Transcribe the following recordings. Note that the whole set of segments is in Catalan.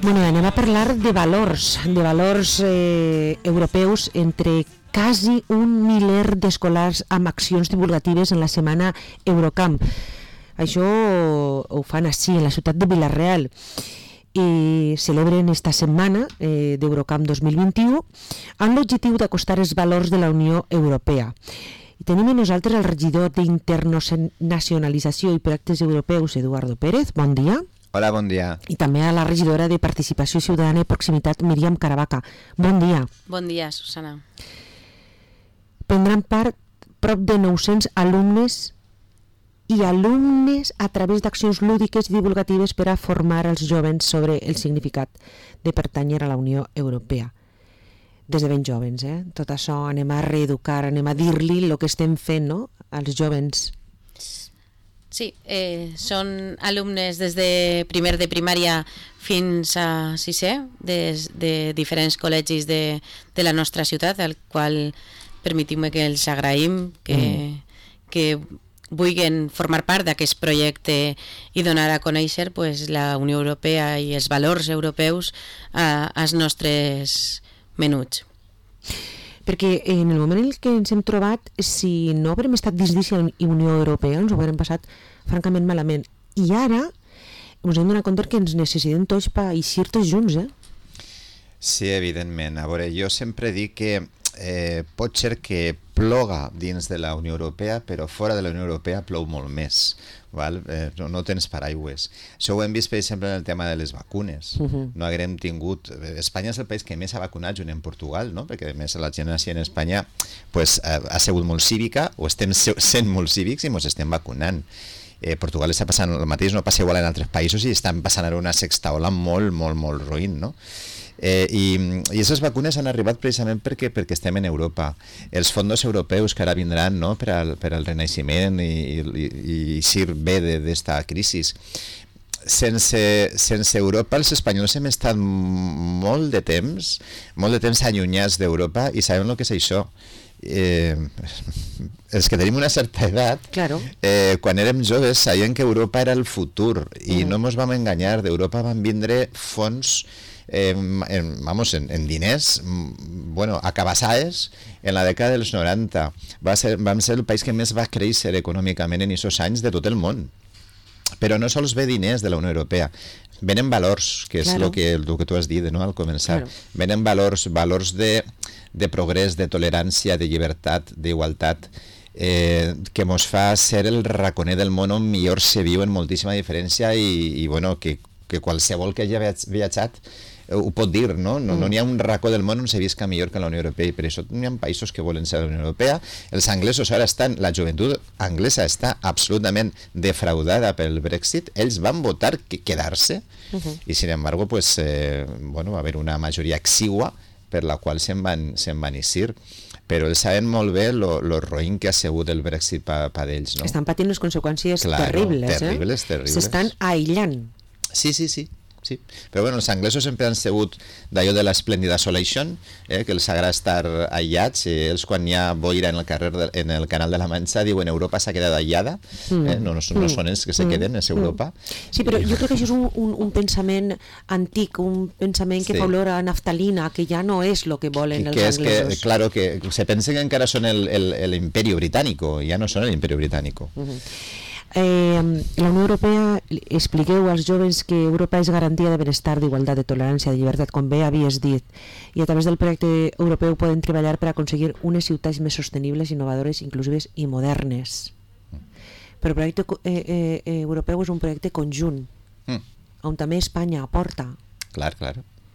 Bueno, anem a parlar de valors europeus entre quasi 1 miler d'escolars amb accions divulgatives en la setmana Eurocamp. Això ho fan així, en la ciutat de Vila-real. I celebren esta setmana d'Eurocamp 2021 amb l'objectiu d'acostar els valors de la Unió Europea. I tenim amb nosaltres el regidor d'Internacionalització i Projectes Europeus, Eduardo Pérez. Bon dia. Hola, bon dia. I també a la regidora de Participació Ciutadana i Proximitat, Míriam Caravaca. Bon dia. Bon dia, Susana. Prendran part prop de 900 alumnes i alumnes a través d'accions lúdiques i divulgatives per a formar els jovens sobre el significat de pertànyer a la Unió Europea. Des de ben jovens, Tot això anem a reeducar, anem a dir-li el que estem fent, no?, als jovens. Sí, són alumnes des de primer de primària fins a sisè, des de diferents col·legis de la nostra ciutat, al qual permetim que els agraïm que vulguin formar part d'aquest projecte i donar a conèixer la Unió Europea i els valors europeus als nostres menuts. Perquè en el moment en què ens hem trobat, si no haurem estat dins d'aquesta Unió Europea, ens ho haurem passat francament malament. I ara ens hem donat compte que ens necessitem tots per eixir tots junts, Sí, evidentment. A veure, jo sempre dic que pot ser que ploga dins de la Unió Europea, però fora de la Unió Europea plou molt més. Val? No tens paraigües. Això ho hem vist, per exemple, en el tema de les vacunes. No haguem tingut... Espanya és el país que més ha vacunat, junt amb Portugal, no? Perquè a més la gent en Espanya ha sigut molt cívica, o estem sent molt cívics i ens estem vacunant. Portugal està passant el mateix, no passa igual en altres països i estan passant ara una sexta ola molt, molt, molt roïn, no? I aquestes vacunes han arribat precisament perquè estem en Europa. Els fons europeus que ara vindran, no, per al renaixement i eixir bé d'esta crisi. Sense Europa, els espanyols hem estat molt de temps allunyats d'Europa i sabem el que és això. Els que tenim una certa edat, claro. Quan érem joves sabien que Europa era el futur i no ens vam enganyar. D'Europa van vindre fons en diners, acabassades en la dècada dels 90. Vam ser el país que més va créixer econòmicament en aquests anys de tot el món. Però no sols ve diners de la Unió Europea, venen valors, que és el que tu has dit, no?, al començar. Venen valors de progrés, de tolerància, de llibertat, d'igualtat, que ens fa ser el raconer del món on millor se viu en moltíssima diferència i que qualsevol que hagi viatjat ho pot dir, no? No hi ha un racó del món on se visca millor que la Unió Europea i per això hi ha països que volen ser de la Unió Europea. Els anglesos ara la joventut anglesa està absolutament defraudada pel Brexit. Ells van votar quedar-se i sin embargo va haver una majoria exigua per la qual se'n van eixir. Però ells saben molt bé lo roïn que ha sigut el Brexit per ells, no? Estan patint les conseqüències terribles, terribles. S'estan aïllant. Sí. Però els anglesos sempre han sigut d'allò de l'Splendid Isolation, que els agrada estar aïllats. Ells, quan hi ha boira en el Canal de la Manxa, diuen Europa s'ha quedat aïllada. No són ells que se queden, és Europa. Sí, però jo crec que això és un pensament antic, un pensament que fa olor a naftalina, que ja no és el que volen els anglesos. Claro, que se pensen que encara són l'Imperio Británico, ja no són l'Imperio Británico. La Unió Europea, expliqueu als joves que Europa és garantia de benestar, d'igualtat, de tolerància, de llibertat, com bé havies dit, i a través del projecte europeu poden treballar per aconseguir unes ciutats més sostenibles, innovadores, inclusives i modernes. Però el projecte europeu és un projecte conjunt, on també Espanya aporta. Clar.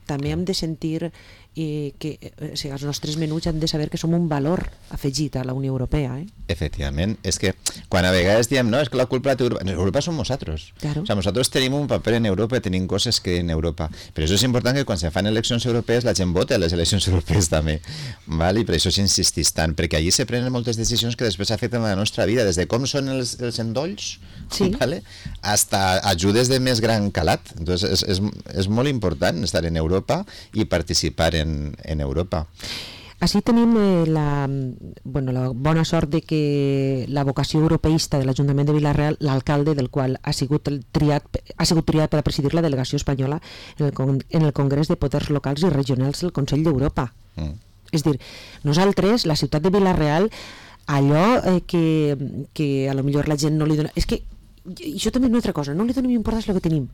També hem de sentir que els nostres menuts han de saber que som un valor afegit a la Unió Europea. Efectivament, és que quan a vegades diem no, és que la culpa de Europa som nosaltres. Claro. O sea, nosaltres tenim un paper en Europa, tenim coses que en Europa, però això és important que quan se fan eleccions europees la gent vota a les eleccions europees també, val? I per això s'insistís tant, perquè allí se prenen moltes decisions que després afecten la nostra vida, des de com són els endolls, vale? Hasta ajudes de més gran calat. Entonces és molt important estar en Europa i participar en Europa. Així tenim la bona sort de que la vocació europeista de l'Ajuntament de Vila-real, l'alcalde del qual ha sigut triat per a presidir la delegació espanyola en el Congrés de Poders Locals i Regionals del Consell d'Europa. És dir, nosaltres, la ciutat de Vila-real, allò que a lo millor la gent no li dona... És que això també és una altra cosa, no li donem importància al que tenim.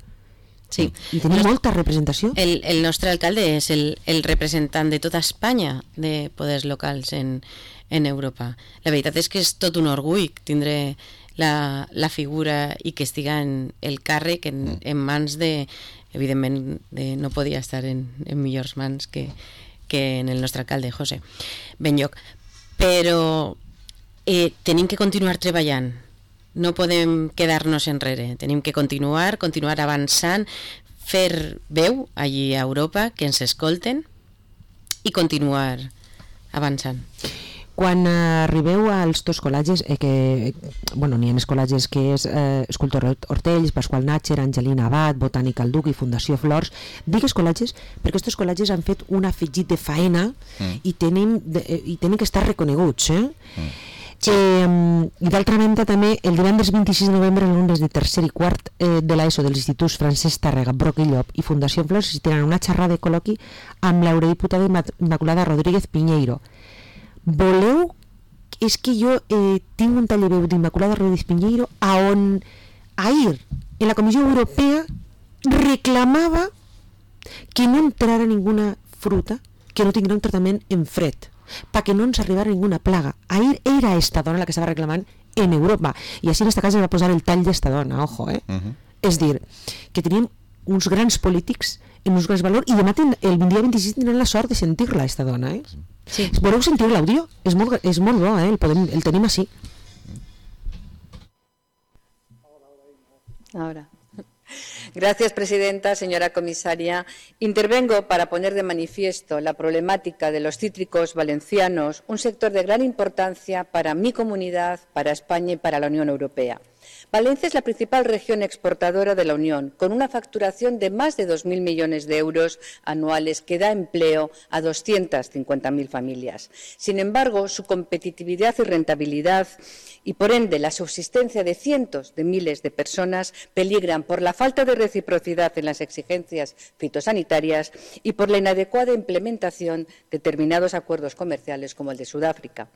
Sí. I tenim molta representació. El nostre alcalde és el representant de tota Espanya de poders locals en Europa. La veritat és que és tot un orgull tindre la figura i que estiga en el càrrec en mans de, evidentment, no podia estar en millors mans que en el nostre alcalde, José Benlloch. Però tenim que continuar treballant. No podem quedar-nos enrere, tenim que continuar avançant, fer veu allí a Europa, que ens escolten i continuar avançant. Quan arribeu als dos col·legis, n'hi ha més col·legis que és Escultor Hortells, Pasqual Natcher, Angelina Abad, Botànica al Duc i Fundació Flors. Digues col·legis perquè aquests col·legis han fet un afegit de faena i tenen que estar reconeguts. I d'altra banda també el divendres 26 de novembre els alumnes de tercer i quart de l'ESO dels instituts Francesc Tàrrega, Broc i Llop i Fundació Flors assistiran a una xerrada de col·loqui amb l'eurodiputada Immaculada Rodríguez Piñeiro. Voleu? És que jo tinc un taller veu d'Immaculada Rodríguez Piñeiro on ahir en la Comissió Europea reclamava que no entrara ninguna fruta que no tinguera un tractament en fred, perquè no ens arribara ninguna plaga. Ahir era esta dona la que estava reclamant en Europa, i així en esta casa va posar el tall d'esta dona, ojo, És dir, que tenim uns grans polítics en uns grans valors, i demà el dia 26 tindran la sort de sentir-la, esta dona, Sí. Voleu sentir l'àudio? És molt bo, el tenim així. Ahora. Gracias, presidenta. Señora comisaria, intervengo para poner de manifiesto la problemática de los cítricos valencianos, un sector de gran importancia para mi comunidad, para España y para la Unión Europea. Valencia es la principal región exportadora de la Unión, con una facturación de más de 2.000 millones de euros anuales que da empleo a 250.000 familias. Sin embargo, su competitividad y rentabilidad y, por ende, la subsistencia de cientos de miles de personas peligran por la falta de reciprocidad en las exigencias fitosanitarias y por la inadecuada implementación de determinados acuerdos comerciales como el de Sudáfrica.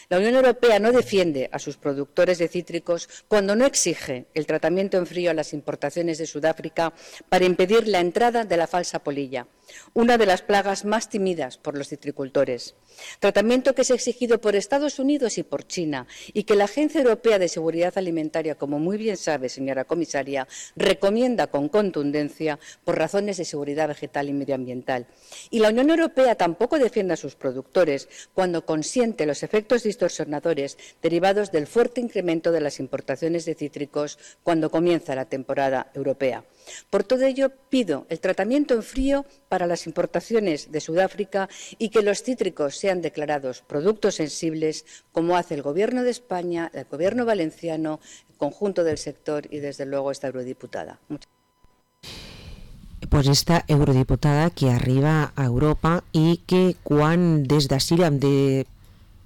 La Unión Europea no defiende a sus productores de cítricos cuando no exige el tratamiento en frío a las importaciones de Sudáfrica para impedir la entrada de la falsa polilla, una de las plagas más temidas por los citricultores. Tratamiento que es exigido por Estados Unidos y por China y que la Agencia Europea de Seguridad Alimentaria, como muy bien sabe, señora comisaria, recomienda con contundencia por razones de seguridad vegetal y medioambiental. Y la Unión Europea tampoco defiende a sus productores cuando consiente los efectos distorsionadores derivados del fuerte incremento de las importaciones de cítricos cuando comienza la temporada europea. Por todo ello, pido el tratamiento en frío para las importaciones de Sudáfrica y que los cítricos sean declarados productos sensibles, como hace el Gobierno de España, el Gobierno valenciano, el conjunto del sector y, desde luego, esta eurodiputada. Pues esta eurodiputada que arriba a Europa i que quan des d'ací hem de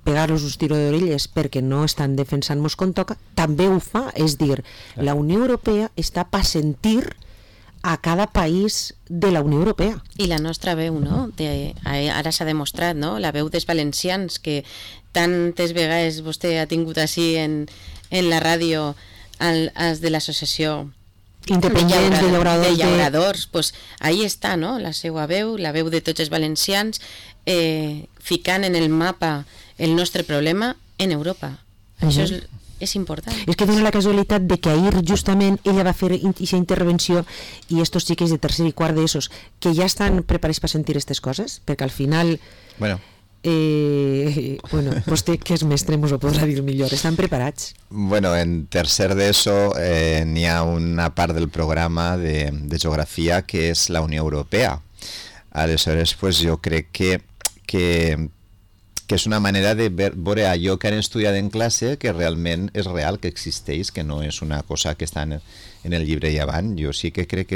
pegar-los un tiro d'orelles perquè no estan defensant-nos com toca, també ho fa, és dir, la Unió Europea està per sentir a cada país de la Unió Europea. I la nostra veu, no? Ara s'ha demostrat, no? La veu dels valencians, que tantes vegades vostè ha tingut així en la ràdio els de l'associació independents de llauradors, pues ahí està, no? La seva veu, la veu de tots els valencians, ficant en el mapa el nostre problema en Europa. Això és important. És que dona la casualitat de que ahir justament ella va fer aquesta intervenció i estos xiques de tercer i quart d'ESOs que ja estan preparats per sentir aquestes coses, perquè al final vostè que és mestre mos ho podrà dir millor, estan preparats? Bueno, en tercer d'ESO n'hi ha una part del programa de geografia que és la Unió Europea. Aleshores, pues, jo crec que que és una manera de veure allò que han estudiat en classe que realment és real, que existeix, que no és una cosa que està en el llibre i avant. Jo sí que crec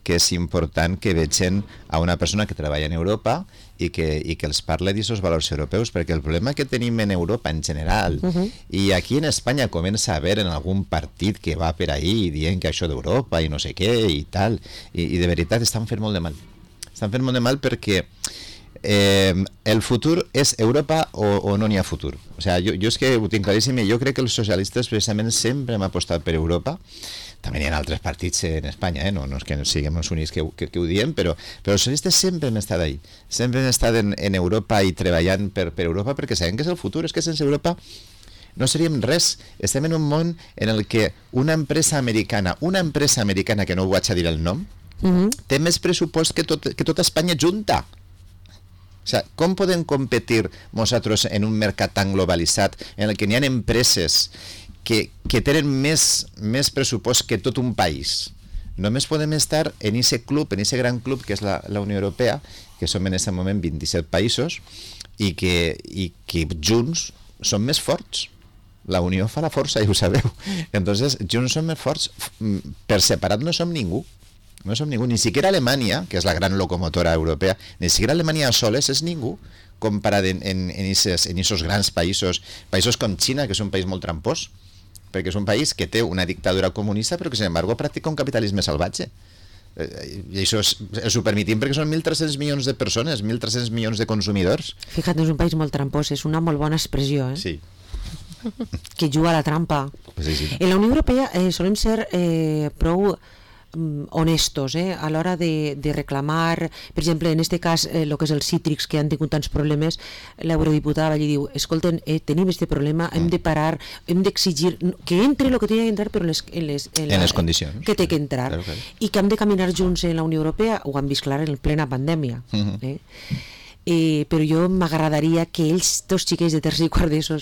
que és important que vegin a una persona que treballa en Europa i que els parle d'aquests valors europeus, perquè el problema que tenim en Europa en general, i aquí en Espanya comença a haver en algun partit que va per ahí dient que això d'Europa i no sé què i tal, i de veritat estan fent molt de mal. Estan fent molt de mal perquè el futur és Europa o no n'hi ha futur. O sigui, jo és que ho tinc claríssim i jo crec que els socialistes precisament sempre hem apostat per Europa. També hi ha altres partits en Espanya, no és que siguem els únics que ho diem, però els socialistes sempre hem estat ahí. Sempre hem estat en Europa i treballant per Europa perquè sabem que és el futur, és que sense Europa no seríem res. Estem en un món en el que una empresa americana que no ho vaig a dir el nom, té més pressupost que tota Espanya junta. O sigui, com podem competir nosaltres en un mercat tan globalitzat en el que n'hi ha empreses que tenen més pressupost que tot un país? Només podem estar en aquest club, en aquest gran club que és la Unió Europea, que som en aquest moment 27 països i que junts som més forts. La unió fa la força, ja ho sabeu. Entonces, junts som més forts. Per separat no som ningú. No som ningú, ni siquiera Alemanya, que és la gran locomotora europea, ni siquiera Alemanya a soles és ningú comparat en aquests grans països com Xina, que és un país molt trampós, perquè és un país que té una dictadura comunista però que, sin embargo, practica un capitalisme salvatge. I això és ho permitim perquè són 1.300 milions de persones, 1.300 milions de consumidors. Fíjate, és un país molt trampós, és una molt bona expressió, Sí. Que juga a la trampa. Sí. En la Unió Europea solem ser prou honestos a l'hora de reclamar, per exemple, en aquest cas el que és els cítrics, que han tingut tants problemes, l'eurodiputada allí diu, escolten, tenim aquest problema, hem de parar, hem d'exigir que entre el que té que entrar, però en les condicions que té que entrar, claro. I que hem de caminar junts en la Unió Europea. Ho han vist clar en plena pandèmia. Però jo m'agradaria que ells, dos xiquets de tercer i quart d'ESO,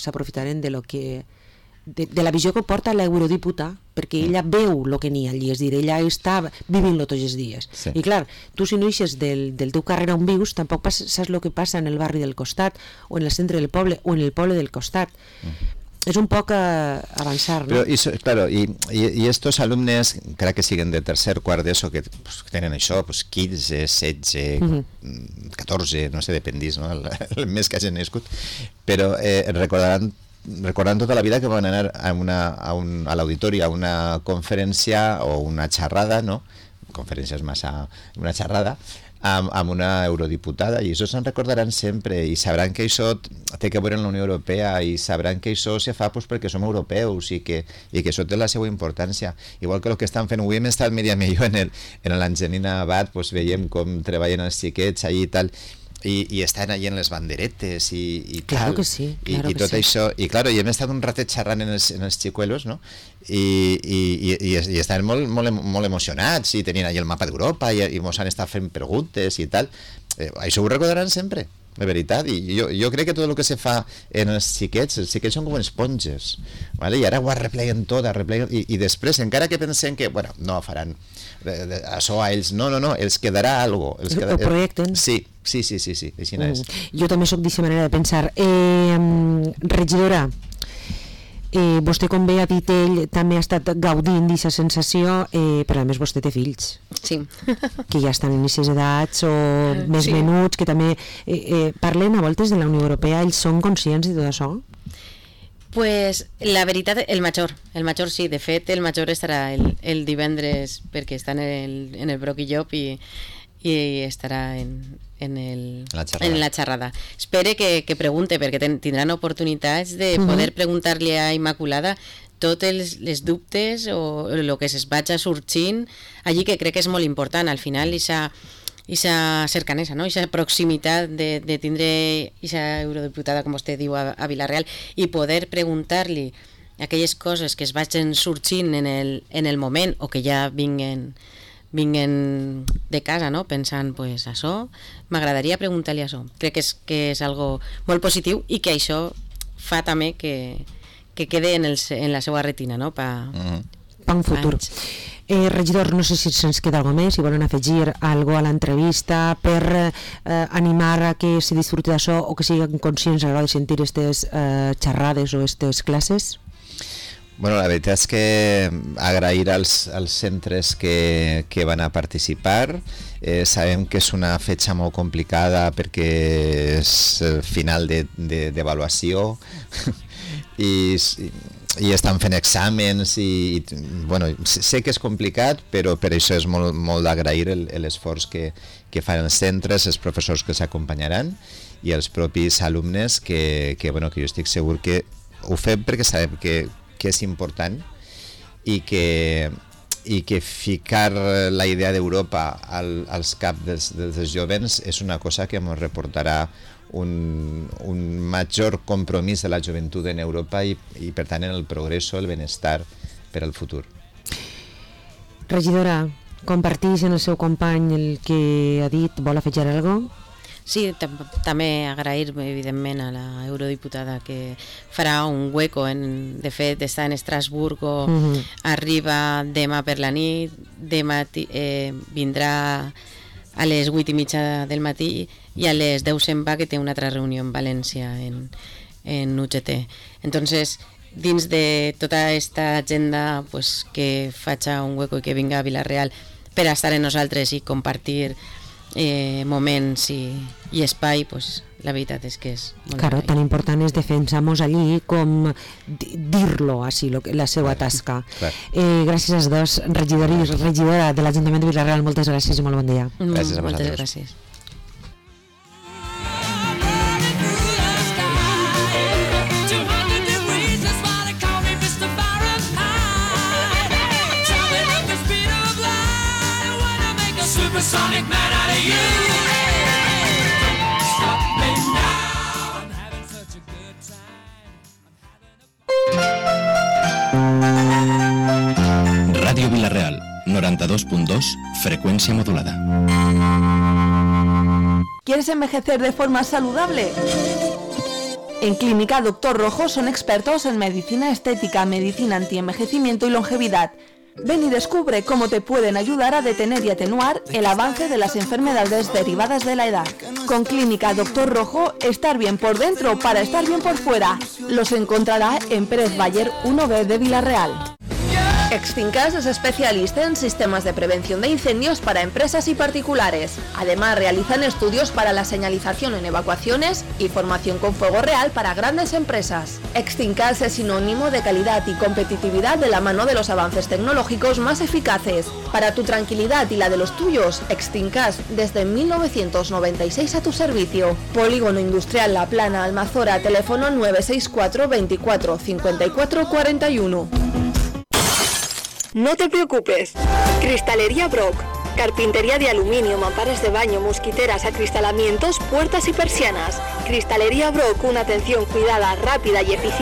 s'aprofitaren de lo que de la visió que porta l'eurodiputada, perquè ella veu el que n'hi ha allí, és dir, ella està vivint-lo tots els dies. Sí. I clar, tu si no eixes del teu carrer on vius, tampoc saps el que passa en el barri del costat, o en el centre del poble, o en el poble del costat. És un poc avançar, no? Però, claro, i estos alumnes, crec que siguen de tercer, quart d'ESO, que tenen això, 15, 16, 14, no sé, dependís, no? El mes que hagin nascut, però recordant tota la vida que van anar a l'auditori a una conferència o una xerrada, no? Conferència és massa... una xerrada amb una eurodiputada, i això se'n recordaran sempre, i sabran que això té que veure en la Unió Europea, i sabran que això se fa perquè som europeus i que això té la seva importància. Igual que el que estan fent, avui hem estat Míriam i jo en l'Angelina Abad, veiem com treballen els xiquets allà i tal, i estan allà en les banderetes i claro tal, que sí, i tot això, i claro, i hem estat un ratet xerrant en els xicuelos, no? I estaven molt emocionats, i tenien allà el mapa d'Europa i mos han estat fent preguntes i tal. Això ho recordaran sempre, de veritat, i jo crec que tot el que se fa en els xiquets són com esponges, ¿vale? I ara ho arrepleguen tot, i després, encara que pensem que, bueno, no faran això a ells, no, els quedarà algo. Ho projecten. Sí, així no és. Jo també soc d'aquesta manera de pensar. Regidora, vostè, com bé ha dit ell, també ha estat gaudint d'aquesta sensació, però a més vostè té fills. Sí. Que ja estan en aquestes edats o més menuts, que també parlen a voltes de la Unió Europea. Ells són conscients de tot això? Pues la veritat, el major sí, de fet el major estarà el divendres perquè està en el Broc i Llop i estarà en la xerrada. Espere que pregunte, perquè tindran oportunitats de poder preguntar-li a Immaculada tots els dubtes o el que es vagi sorgint allí, que crec que és molt important. Al final, aquesta cercanesa, no? Aquesta proximitat de tindre aquesta eurodiputada, com vostè diu, a Vila-real, i poder preguntar-li aquelles coses que es vagin sorgint en el moment o que ja vinguen de casa, no? Pensant, pues, això, m'agradaria preguntar-li això. Crec que és algo molt positiu i que això fa també que quede en la seva retina, no? Pa un futur. Regidor, no sé si se'ns queda alguna més, si volen afegir alguna a l'entrevista per animar a que se disfruti d'això o que siguin conscients a l'hora de sentir aquestes xerrades o aquestes classes. Bueno, la veritat és que agrair als centres que van a participar. Sabem que és una fetge molt complicada perquè és el final d'avaluació i estan fent exàmens i bueno, sé que és complicat, però per això és molt d'agrair l'esforç que fan els centres, els professors que els acompanyaran i els propis alumnes que jo estic segur que ho fem perquè sabem que és important i que ficar la idea d'Europa als caps dels jovens és una cosa que ens reportarà un major compromís de la joventut en Europa i per tant en el progrés, el benestar per al futur. Regidora, comparteix en el seu company el que ha dit, vol afegir alguna cosa? Sí, també agrair evidentment a la eurodiputada que farà un hueco, de fet està en Estrasburgo, arriba demà per la nit, vindrà a les 8:30 del matí i a les 10 se'n va, que té una altra reunió en València en UGT. Entonces, dins de tota aquesta agenda, pues, que faci un hueco i que vinga a Vila-real per estar amb nosaltres i compartir moments i espai, pues, la veritat és que és molt claro, tan important és defensar-nos allí com dir-lo així, la seva tasca. Gràcies als dos, regidor i regidora de l'Ajuntament de Vila-real, moltes gràcies i molt bon dia. Gràcies a vosaltres. Moltes gràcies. Supersonic man out of you. Stop me now. I'm having such a good time. Ràdio Vila-real, 92.2, frecuencia modulada. ¿Quieres envejecer de forma saludable? En Clínica Dr. Rojo son expertos en medicina estética, medicina antienvejecimiento y longevidad. Ven y descubre cómo te pueden ayudar a detener y atenuar el avance de las enfermedades derivadas de la edad. Con Clínica Dr. Rojo, estar bien por dentro para estar bien por fuera. Los encontrará en Pérez Bayer 1B de Vila-real. Extincas es especialista en sistemas de prevención de incendios para empresas y particulares. Además, realizan estudios para la señalización en evacuaciones y formación con fuego real para grandes empresas. Extincas es sinónimo de calidad y competitividad de la mano de los avances tecnológicos más eficaces. Para tu tranquilidad y la de los tuyos, Extincas desde 1996 a tu servicio. Polígono Industrial La Plana, Almazora, teléfono 964 24 54 41. No te preocupes. Cristalería Brock. Carpintería de aluminio, mamparas de baño, mosquiteras, acristalamientos, puertas y persianas. Cristalería Brock, una atención cuidada, rápida y eficiente.